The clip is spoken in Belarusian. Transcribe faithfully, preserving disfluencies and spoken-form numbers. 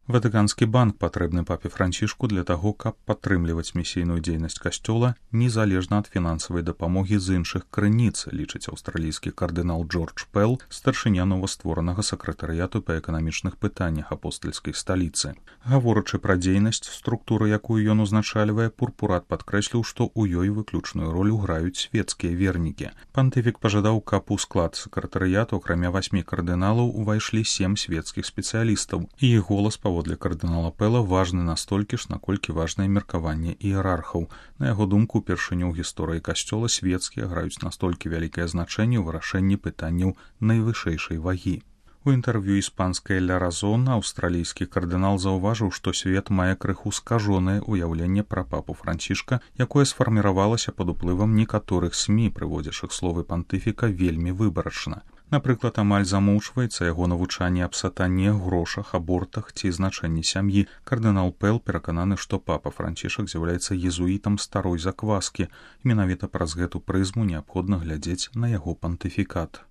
Ватыканскі банк патрэбны папе Францішку для таго, каб падтрымліваць місійную дзейнасць касцёла незалежна ад фінансавай дапамогі з іншых крыніц, лічыць аўстралійскі кардынал Джордж Пэл, старшыня новастворанага сакратарыяту па эканамічных пытаннях апостальскай сталіцы. Гаворачы пра дзейнасць, структуру, якую ён узначальвае, пурпурат падкрэсліў, што ў ёй выключную ролю граюць свецкія вернікі. Пантыфік пажадаў, каб у склад сакратарыяту, акрамя васьмі кардыналаў, увайшлі сем свецкіх спецыялістаў, і іх голас паводле кардынала Пэла важны настолькі ж, наколькі важнае меркаванне іерархаў. На яго думку, упершыню ў гісторыі касцёла свецкія граюць настолькі вялікае значэнне ў вырашэнні пытанняў найвышэйшай вагі. У інтэрв'ю іспанскай «Ля Разон» аўстралійскі кардынал заўважыў, што свет мае крыху скажонае ўяўленне пра папу Францішка, якое сфарміравалася пад уплывам некаторых СМІ, прыводзячых словы пантыфіка вельмі выбарачна. Напрыклад, амаль замоўчваецца яго навучанне аб сатане, грошах, абортах ці значэнні сям'і. Кардынал Пэл перакананы, што папа Францішак з'яўляецца езуітам старой закваскі. Менавіта праз гэту прызму неабходна глядзець на яго пантыфікат.